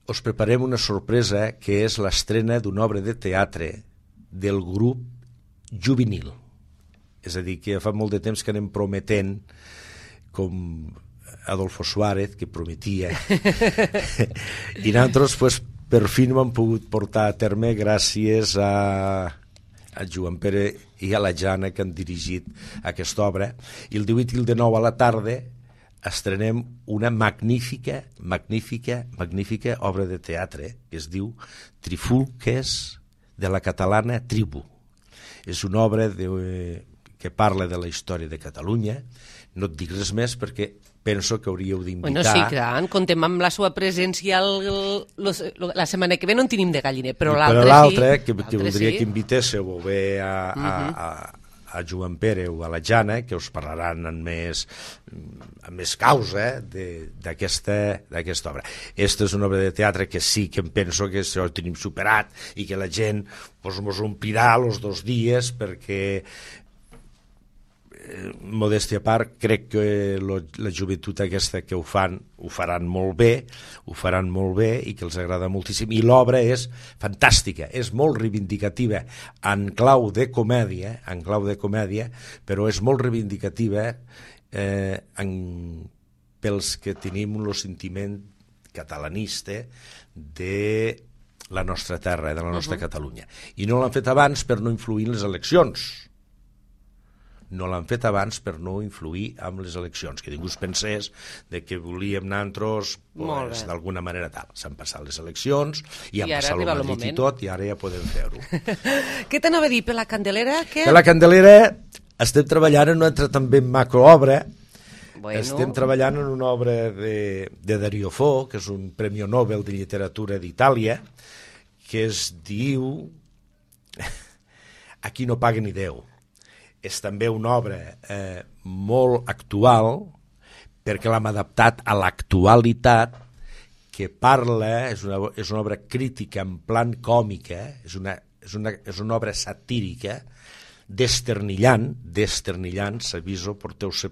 us preparem una sorpresa que és l'estrena d'una obra de teatre del grup juvenil. És a dir, que fa molt de temps que anem prometent, com Adolfo Suárez, que prometia. I nosaltres, pues, per fi no hem pogut portar a terme gràcies a, a Joan Pere i a la Jana, que han dirigit aquesta obra. I el divuit i el dinou a la tarda estrenem una magnífica, magnífica, magnífica obra de teatre que es diu Trifulques de la catalana Tribu. És una obra de, que parla de la història de Catalunya. No et dic res més perquè penso que hauríeu d'invitar... Bueno, sí, clar, contem amb la seva presència el, el, el, la setmana que ve no en tenim de galliner, però l'altre sí. l'altre, que, que voldria sí. que invitéssiu o bé a, a, uh-huh. a, a Joan Pere o a la Jana, que us parlaran amb més, amb més causa d'aquesta obra. Aquesta és una obra de teatre que sí que em penso que això ho tenim superat i que la gent pues, mos omplirà els dos dies perquè, eh, modèstia a part, crec que lo, la joventut aquesta que ho fan, ho faran molt bé, ho faran molt bé i que els agrada moltíssim. I l'obra és fantàstica, és molt reivindicativa en clau de comèdia, en clau de comèdia, però és molt reivindicativa eh, en, pels que tenim el sentiment catalanista de la nostra terra, de la nostra uh-huh. Catalunya. I no l'han fet abans per no influir en les eleccions. No l'han fet abans per no influir amb les eleccions, que ningú es pensés de que volíem nosaltres pues, d'alguna manera tal. S'han passat les eleccions i, I han passat el Madrid i tot, i ara ja podem fer-ho. Què t'anava a dir, per la Candelera? Què? Per la Candelera estem treballant en una altra també macroobra. Bueno. Estem treballant en una obra de, de Dario Fo, que és un Premi Nobel de Literatura d'Itàlia, que es diu Aquí no paga ni Déu. És també una obra eh, molt actual, perquè l'hem adaptat a l'actualitat, que parla, és una, és una obra crítica en plan còmica, és una, és una, és una obra satírica, desternillant, desternillant, s'aviso, porteu-se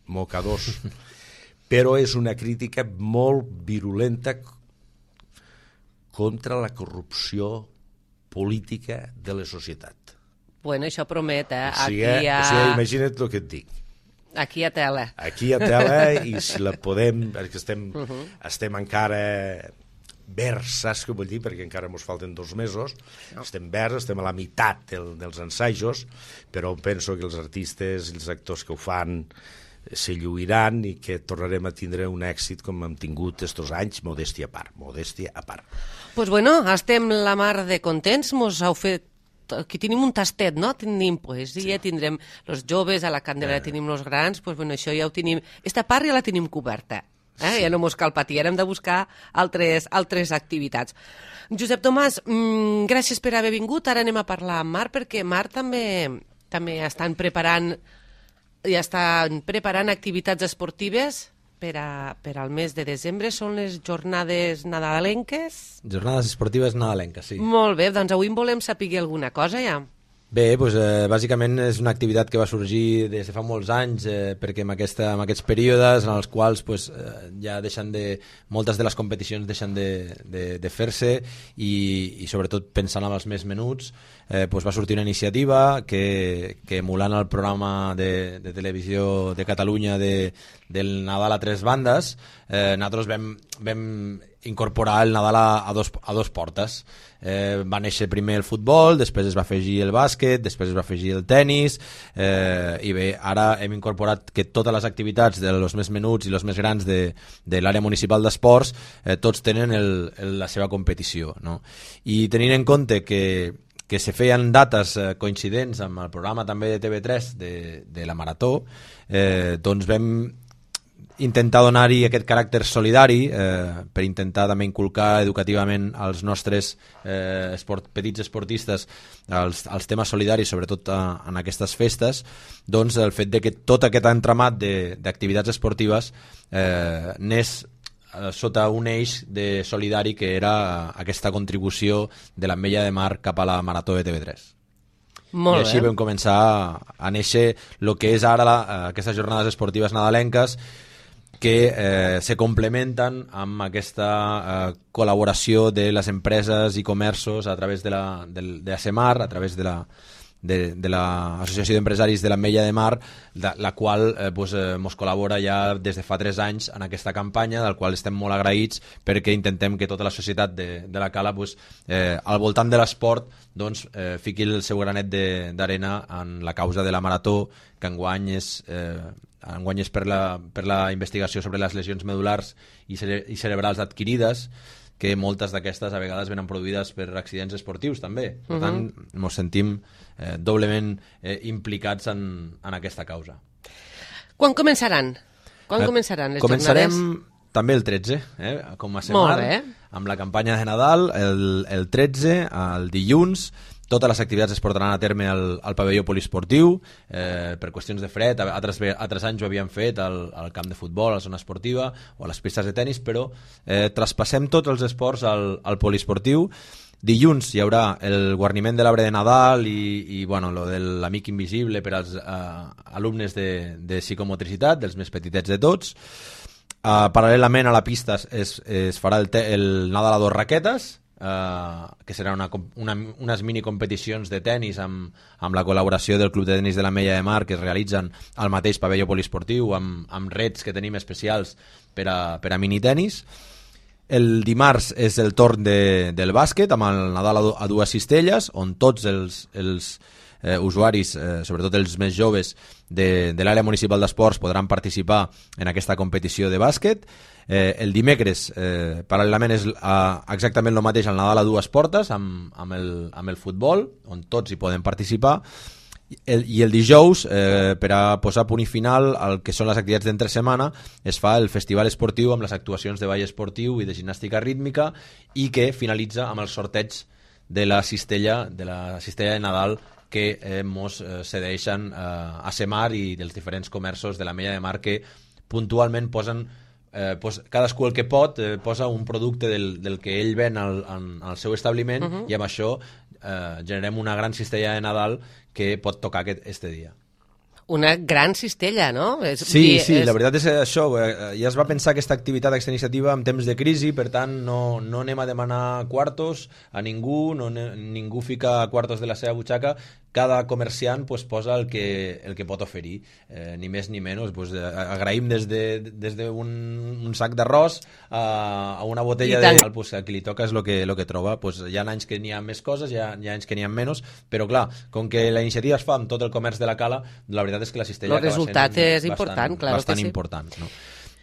mocadors, però és una crítica molt virulenta contra la corrupció política de la societat. Bueno, això promet, eh? O sigui, aquí ha... o sigui, imagina't el que et dic. Aquí a tela. Aquí a tela, i si la podem, perquè estem, uh-huh. estem encara verds, saps què vull dir? Perquè encara ens falten dos mesos, no. estem verds, estem a la meitat del, dels ensajos, però penso que els artistes i els actors que ho fan se lluiran i que tornarem a tindre un èxit com hem tingut estos anys, modèstia a part, modèstia a part. Doncs pues bueno, estem la mar de contents, mos heu fet aquí tenim un tastet, no? Tenim poesia, sí. tindrem els joves, a la Candelera eh. tenim els grans, doncs bueno, això ja ho tenim... Esta part ja la tenim coberta, eh? Sí. Ja no mos cal patir, ara hem de buscar altres, altres activitats. Josep Tomàs, mmm, gràcies per haver vingut, ara anem a parlar amb Marc, perquè Marc també, també estan preparant, ja estan preparant activitats esportives per, a, per al mes de desembre. Són les jornades nadalenques? Jornades esportives nadalenques, sí. Molt bé, doncs avui en volem saber alguna cosa ja. Bé, doncs, eh, bàsicament és una activitat que va sorgir des de fa molts anys, eh, perquè en, aquesta, en aquests períodes en els quals pues, eh, ja deixen de, moltes de les competicions deixen de, de, de fer-se i, i sobretot pensant en els més menuts, eh, pues, va sortir una iniciativa que, que emulant el programa de, de televisió de Catalunya de, del Nadal a tres bandes, eh, nosaltres vam, vam incorporar el Nadal a, a, dos, a dos portes. Eh, va néixer primer el futbol, després es va afegir el bàsquet, després es va afegir el tennis, eh, i bé, ara hem incorporat que totes les activitats de los més menuts i los més grans de, de l'àrea municipal d'esports eh, tots tenen el, el, la seva competició, no? I tenint en compte que, que se feien dates eh, coincidents amb el programa també de T V tres de, de la Marató, eh, doncs vam intentar donar-hi aquest caràcter solidari eh, per intentar també inculcar educativament als nostres eh, esport, petits esportistes els, els temes solidaris, sobretot a, en aquestes festes, doncs el fet de que tot aquest entramat d'activitats esportives eh, n'és eh, sota un eix de solidari que era aquesta contribució de l'Ametlla de Mar cap a la Marató de T V tres. Molt I així bé. vam començar a néixer el que és ara la, aquestes jornades esportives nadalenques, que eh, se complementen amb aquesta eh, col·laboració de les empreses i comerços a través de la, de, de ASEMAR, a través de la de, de l'Associació d'Empresaris de l'Ametlla de Mar, de, la qual eh, pues, eh, mos col·labora ja des de fa tres anys en aquesta campanya, del qual estem molt agraïts perquè intentem que tota la societat de, de la Cala pues, eh, al voltant de l'esport doncs, eh, fiqui el seu granet d'arena en la causa de la Marató, que enguany és... Eh, enguany és per la, per la investigació sobre les lesions medulars i, cere i cerebrals adquirides, que moltes d'aquestes a vegades venen produïdes per accidents esportius també. Per uh -huh. tant, ens sentim eh, doblement eh, implicats en, en aquesta causa. Quan començaran? Quan eh, començaran les començarem jornades? També el tretze, eh, com a setmana, amb la campanya de Nadal, el, el tretze, el dilluns. Totes les activitats es portaran a terme al, al pavelló poliesportiu, eh, per qüestions de fred. Altres, altres anys ho havien fet al, al camp de futbol, a la zona esportiva o a les pistes de tennis, però eh, traspassem tots els esports al, al poliesportiu. Dilluns hi haurà el guarniment de l'arbre de Nadal i, i bueno, lo de l'amic invisible per als eh, alumnes de, de psicomotricitat, dels més petitets de tots. Uh, paral·lelament a la pista es, es farà el, te, el Nadal a dos raquetes, Uh, que serà una, una, unes mini competicions de tennis amb, amb la col·laboració del Club de Tenis de l'Ametlla de Mar, que es realitzen al mateix pavelló poliesportiu amb, amb rets que tenim especials per a, per a minitenis. El dimarts és el torn de, del bàsquet amb el Nadal a, a dues cistelles, on tots els, els eh, usuaris, eh, sobretot els més joves de, de l'àrea municipal d'esports, podran participar en aquesta competició de bàsquet. Eh, el dimecres, eh, paral·lelament, és eh, exactament el mateix, el Nadal a dues portes, amb, amb, el, amb el futbol, on tots hi poden participar. El, I el dijous, eh, per a posar punt i final al que són les activitats d'entre setmana, es fa el festival esportiu amb les actuacions de ball esportiu i de gimnàstica rítmica, i que finalitza amb el sorteig de la cistella, de la cistella de Nadal que eh, mos eh, cedeixen eh, a Semar i dels diferents comerços de l'Ametlla de Mar, que puntualment posen Eh, pues, cadascú el que pot eh, posa un producte del, del que ell ven al, al, al seu establiment, uh-huh. i amb això eh, generem una gran cistella de Nadal que pot tocar aquest, este dia. Una gran cistella, no? És, sí, dir, sí, és... la veritat és això. Eh, ja es va pensar aquesta activitat, aquesta iniciativa en temps de crisi, per tant no, no anem a demanar quartos a ningú, no, ningú fica quartos de la seva butxaca. Cada comerciant pues, posa el que, el que pot oferir, eh, ni més ni menys. Pues, eh, agraïm des de, des de un, un sac d'arròs a, a una botella de... Pues, a qui li toca és el que, lo que troba. Pues, hi ha anys que n'hi ha més coses, hi ha, hi ha anys que n'hi ha menys, però clar, com que la iniciativa es fa amb tot el comerç de la Cala, la veritat és que la cistella el resultat és bastant, important, claro bastant que sí. important, no?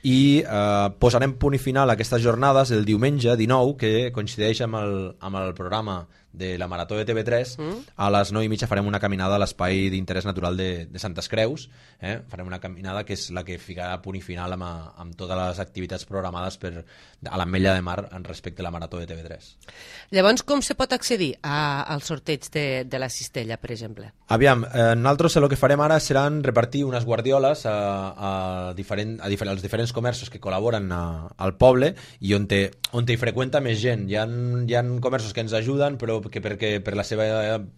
I eh, posarem punt i final a aquestes jornades el diumenge dinou, que coincideix amb el, amb el programa de la Marató de T V tres. mm. A les nou i mitja farem una caminada a l'espai d'interès natural de, de Santes Creus, eh? Farem una caminada que és la que ficarà punt i final amb, amb totes les activitats programades per, a l'Ametlla de Mar en respecte a la Marató de T V tres. Llavors, com se pot accedir a, al sorteig de, de la cistella, per exemple? Aviam, eh, nosaltres el que farem ara seran repartir unes guardioles a, a, diferent, a difer als diferents comerços que col·laboren a, al poble i on, te, on te hi freqüenta més gent. Hi ha, hi ha comerços que ens ajuden, però que perquè per la seva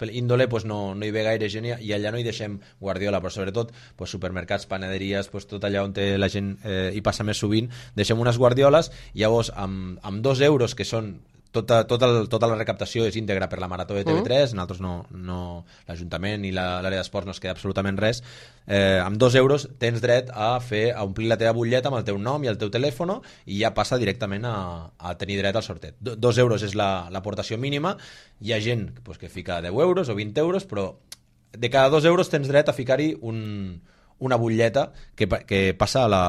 índole pues, no, no hi ve gaire gent i allà no hi deixem guardiola, però sobretot pues, supermercats, panaderies, pues, tot allà on la gent eh, hi passa més sovint, deixem unes guardioles i llavors amb, amb dos euros, que són tota, tota, el, tota la recaptació és íntegra per la Marató de T V tres, mm. nosaltres no, no, l'Ajuntament i l'àrea d'esports no es queda absolutament res. Eh, amb dos euros tens dret a fer a omplir la teva butlleta amb el teu nom i el teu telèfon i ja passa directament a, a tenir dret al sorteig. Do, dos euros és l'aportació la, mínima, hi ha gent pues, que fica deu euros o vint euros, però de cada dos euros tens dret a ficar-hi un, una butlleta que, que passa a la,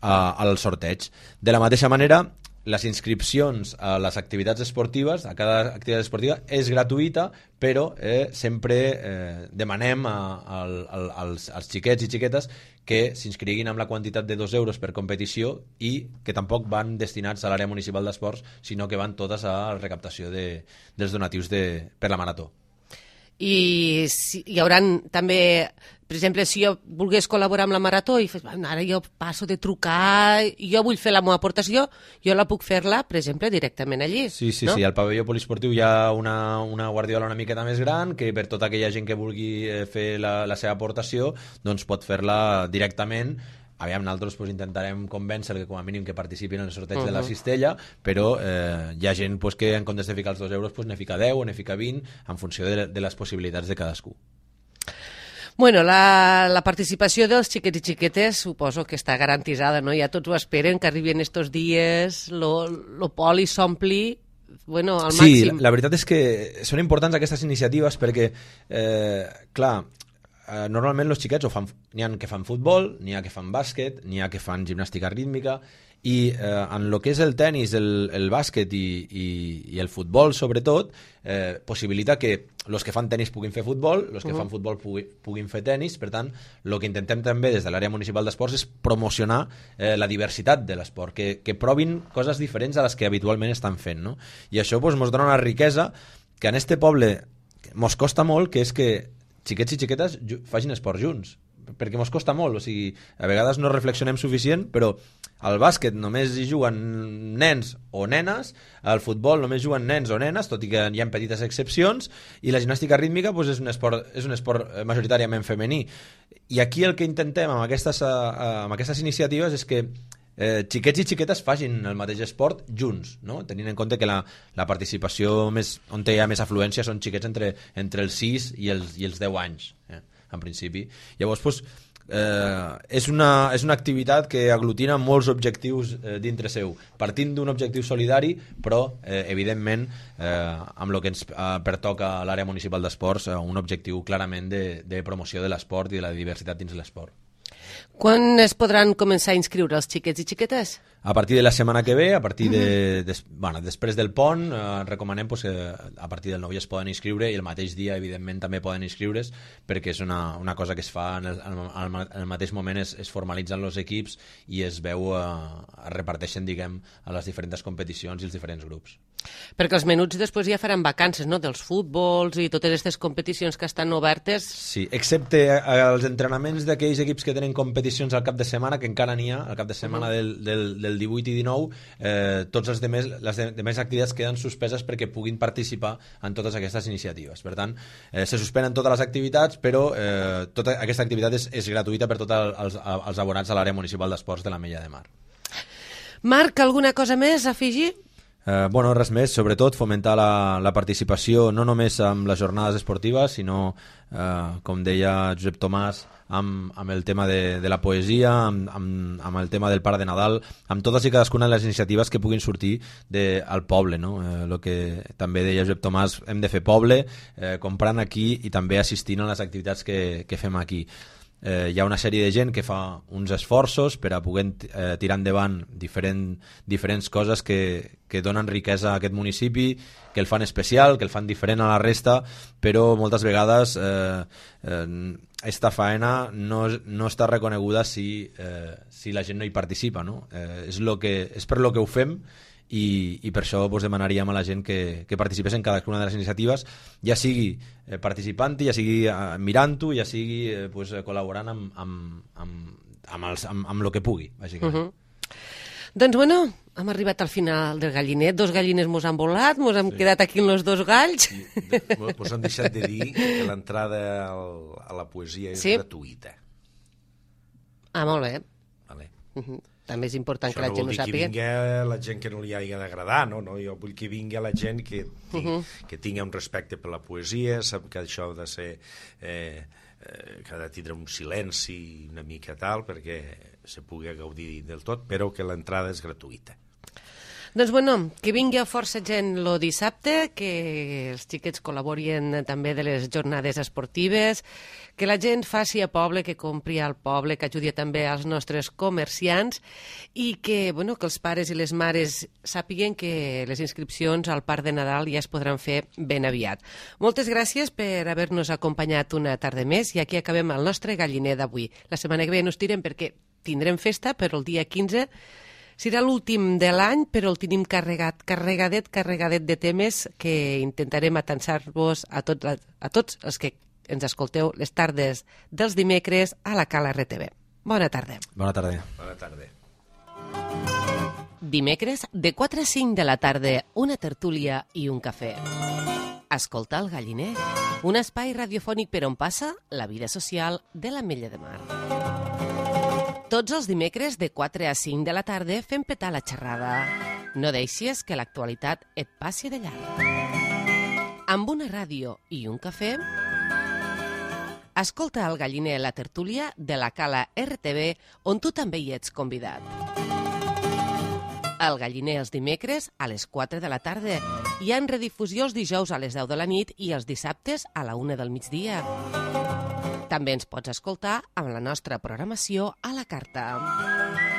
a, al sorteig. De la mateixa manera, les inscripcions a les activitats esportives, a cada activitat esportiva, és gratuïta, però eh, sempre eh, demanem a, a, a, als, als xiquets i xiquetes que s'inscriguin amb la quantitat de dos euros per competició i que tampoc van destinats a l'àrea municipal d'esports, sinó que van totes a la recaptació de, dels donatius de, per la Marató. I si, hi haurà també, per exemple, si jo volgués col·laborar amb la Marató i fes, ara jo passo de trucar, jo vull fer la meva aportació, jo la puc fer-la, per exemple, directament allí. Sí, sí, no? sí, al pavelló poliesportiu hi ha una, una guardiola una miqueta més gran que per tota aquella gent que vulgui fer la, la seva aportació doncs pot fer-la directament. Aviam, nosaltres pues, intentarem convèncer que com a mínim que participin en el sorteig uh -huh. de la cistella, però eh, hi ha gent pues, que en comptes de ficar els dos euros pues, ne fica deu o ne fica vint en funció de, de les possibilitats de cadascú. Bueno, la, la participació dels xiquets i xiquetes suposo que està garantitzada, no? Ja tots ho esperen, que arribin estos dies, lo, lo poli s'ompli, bueno, al sí, màxim. Sí, la veritat és que són importants aquestes iniciatives perquè, eh, clar, Uh, normalment els xiquets n'hi ha que fan futbol, n'hi ha que fan bàsquet, n'hi ha que fan gimnàstica rítmica i uh, en el que és el tennis, el, el bàsquet i, i, i el futbol sobretot, eh, possibilita que els que fan tennis puguin fer futbol, els que uh -huh. fan futbol pugui, puguin fer tennis. Per tant, el que intentem també des de l'àrea municipal d'esports és promocionar eh, la diversitat de l'esport, que, que provin coses diferents a les que habitualment estan fent, no? I això pues, mos dona una riquesa que en este poble mos costa molt, que és que xiquets i xiquetes facin esport junts, perquè mos costa molt, o sigui, a vegades no reflexionem suficient, però al bàsquet només hi juguen nens o nenes, al futbol només juguen nens o nenes, tot i que hi ha petites excepcions, i la gimnàstica rítmica pues, és un esport, és un esport majoritàriament femení. I aquí el que intentem amb aquestes, amb aquestes iniciatives és que eh, xiquets i xiquetes facin el mateix esport junts, no? Tenint en compte que la, la participació més, on hi ha més afluència són xiquets entre, entre els sis i els, i els deu anys, eh, en principi. Llavors, pues, eh, és, una, és una activitat que aglutina molts objectius eh, dintre seu, partint d'un objectiu solidari, però, eh, evidentment, eh, amb el que ens eh, pertoca a l'àrea municipal d'esports, eh, un objectiu clarament de, de promoció de l'esport i de la diversitat dins l'esport. Quan es podran començar a inscriure els xiquets i xiquetes? A partir de la setmana que ve, a partir de, de, bueno, després del pont, eh, recomanem pues, que a partir del nou ja es poden inscriure i el mateix dia, evidentment, també poden inscriure's perquè és una, una cosa que es fa en el, en el mateix moment, es, es formalitzen els equips i es veu, eh, es reparteixen, diguem, a les diferents competicions i els diferents grups. Perquè els menuts després ja faran vacances, no?, dels futbols i totes aquestes competicions que estan obertes. Sí, excepte els entrenaments d'aquells equips que tenen competicions al cap de setmana, que encara n'hi ha, al cap de setmana uh -huh. del, del, del divuit i dinou, eh, tots els demés, les demés activitats queden suspeses perquè puguin participar en totes aquestes iniciatives. Per tant, eh, se suspenen totes les activitats, però eh, tota aquesta activitat és, és gratuïta per tots els, els abonats a l'àrea municipal d'esports de l'Ametlla de Mar. Marc, alguna cosa més a afegir? Eh, bueno, res més, sobretot fomentar la, la participació no només amb les jornades esportives, sinó, eh, com deia Josep Tomàs, amb, amb el tema de, de la poesia, amb, amb, amb el tema del Pare de Nadal, amb totes i cadascuna de les iniciatives que puguin sortir de, al poble, no? Eh, el que també deia Josep Tomàs, hem de fer poble, eh, comprant aquí i també assistint a les activitats que, que fem aquí. Eh, hi ha una sèrie de gent que fa uns esforços per a poder eh, tirar endavant diferent, diferents coses que, que donen riquesa a aquest municipi, que el fan especial, que el fan diferent a la resta, però moltes vegades eh, eh, esta faena no, no està reconeguda si, eh, si la gent no hi participa, no? Eh, és, lo que, és per lo que ho fem. I, i per això pues, demanaríem a la gent que, que participés en cadascuna de les iniciatives, ja sigui eh, participant-hi, ja sigui eh, mirant-ho, ja sigui eh, pues, col·laborant amb, amb, amb, amb, els, amb, amb lo que pugui, bàsicament. Uh -huh. Doncs bueno, hem arribat al final del galliner, dos gallines mos han volat, mos hem sí. quedat aquí amb els dos galls. Mos han deixat de dir que l'entrada a la poesia és sí. gratuïta. Ah, molt bé. Vale. Uh -huh. també és important això que la no gent vol ho dir que sàpiga. vingui la gent que no li hagi d'agradar, no? no? Jo vull que vingui la gent que, ting, uh -huh. que tingui un respecte per la poesia, sap que això ha de ser... Eh, eh, que ha de tindre un silenci una mica tal, perquè se pugui gaudir del tot, però que l'entrada és gratuïta. Doncs bueno, que vingui força gent lo dissabte, que els xiquets col·laborin també de les jornades esportives, que la gent faci a poble, que compri al poble, que ajudi també als nostres comerciants i que, bueno, que els pares i les mares sàpiguen que les inscripcions al Parc de Nadal ja es podran fer ben aviat. Moltes gràcies per haver-nos acompanyat una tarda més i aquí acabem el nostre galliner d'avui. La setmana que ve no us tirem perquè tindrem festa, però el dia quinze serà l'últim de l'any, però el tenim carregat, carregadet, carregadet de temes que intentarem atansar-vos a tots, a tots els que ens escolteu les tardes dels dimecres a la Cala R T V. Bona tarda. Bona tarda. Bona tarda. Dimecres, de quatre a cinc de la tarda, una tertúlia i un cafè. Escolta el galliner, un espai radiofònic per on passa la vida social de l'Ametlla de Mar. Tots els dimecres de quatre a cinc de la tarda fem petar la xerrada. No deixis que l'actualitat et passi de llarg. Amb una ràdio i un cafè, escolta el galliner la tertúlia de la Cala R T V, on tu també hi ets convidat. El galliner els dimecres a les quatre de la tarda i en redifusió els dijous a les deu de la nit i els dissabtes a la una del migdia. També ens pots escoltar amb la nostra programació a la carta.